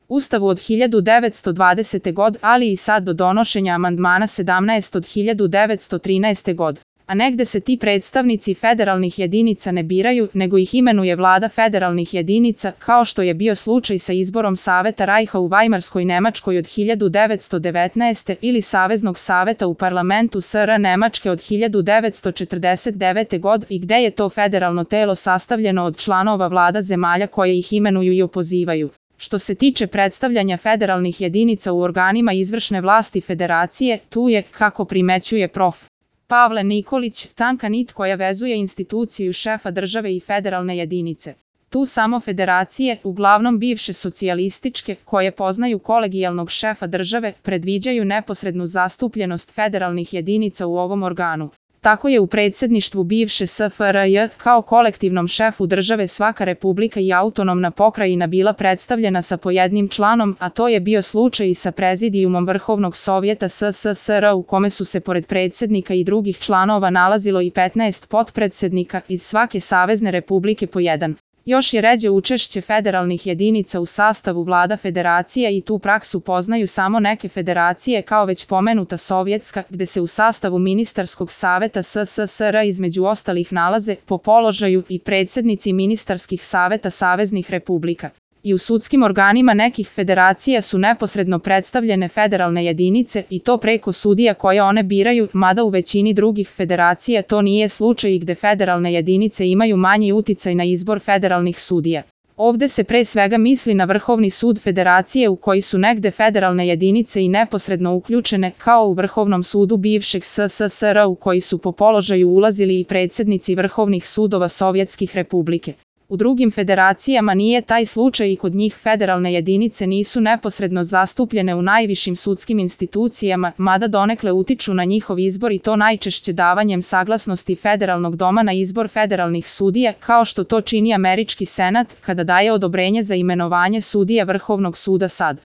Ustavu od 1920. god, ali i sad do donošenja amandmana 17 od 1913. god. A negde se ti predstavnici federalnih jedinica ne biraju, nego ih imenuje vlada federalnih jedinica, kao što je bio slučaj sa izborom Saveta Rajha u Vajmarskoj Nemačkoj od 1919. ili Saveznog saveta u parlamentu SR Nemačke od 1949. god i gde je to federalno telo sastavljeno od članova vlada zemalja koje ih imenuju i opozivaju. Što se tiče predstavljanja federalnih jedinica u organima izvršne vlasti federacije, tu je, kako primećuje prof. Pavle Nikolić, tanka nit koja vezuje instituciju šefa države i federalne jedinice. Tu samo federacije, uglavnom bivše socijalističke, koje poznaju kolegijalnog šefa države, predviđaju neposrednu zastupljenost federalnih jedinica u ovom organu. Tako je u predsjedništvu bivše SFRJ kao kolektivnom šefu države svaka republika i autonomna pokrajina bila predstavljena sa po jednim članom, a to je bio slučaj i sa prezidijumom Vrhovnog sovjeta SSSR u kome su se pored predsjednika i drugih članova nalazilo i 15 potpredsjednika iz svake savezne republike po jedan. Još je ređe učešće federalnih jedinica u sastavu vlada federacije i tu praksu poznaju samo neke federacije kao već pomenuta sovjetska, gde se u sastavu ministarskog saveta SSSR između ostalih nalaze po položaju i predsjednici ministarskih saveta saveznih republika. I u sudskim organima nekih federacija su neposredno predstavljene federalne jedinice i to preko sudija koje one biraju, mada u većini drugih federacija to nije slučaj i gde federalne jedinice imaju manji uticaj na izbor federalnih sudija. Ovde se pre svega misli na Vrhovni sud federacije u koji su negde federalne jedinice i neposredno uključene, kao u Vrhovnom sudu bivšeg SSSR u koji su po položaju ulazili i predsjednici vrhovnih sudova sovjetskih republike. U drugim federacijama nije taj slučaj i kod njih federalne jedinice nisu neposredno zastupljene u najvišim sudskim institucijama, mada donekle utiču na njihov izbor i to najčešće davanjem saglasnosti federalnog doma na izbor federalnih sudija, kao što to čini američki senat kada daje odobrenje za imenovanje sudija Vrhovnog suda SAD.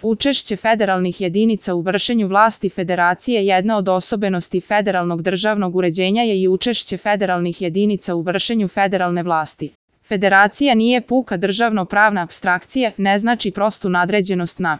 Učešće federalnih jedinica u vršenju vlasti federacije. Jedna od osobenosti federalnog državnog uređenja je i učešće federalnih jedinica u vršenju federalne vlasti. Federacija nije puka državno-pravna apstrakcija, ne znači prostu nadređenost na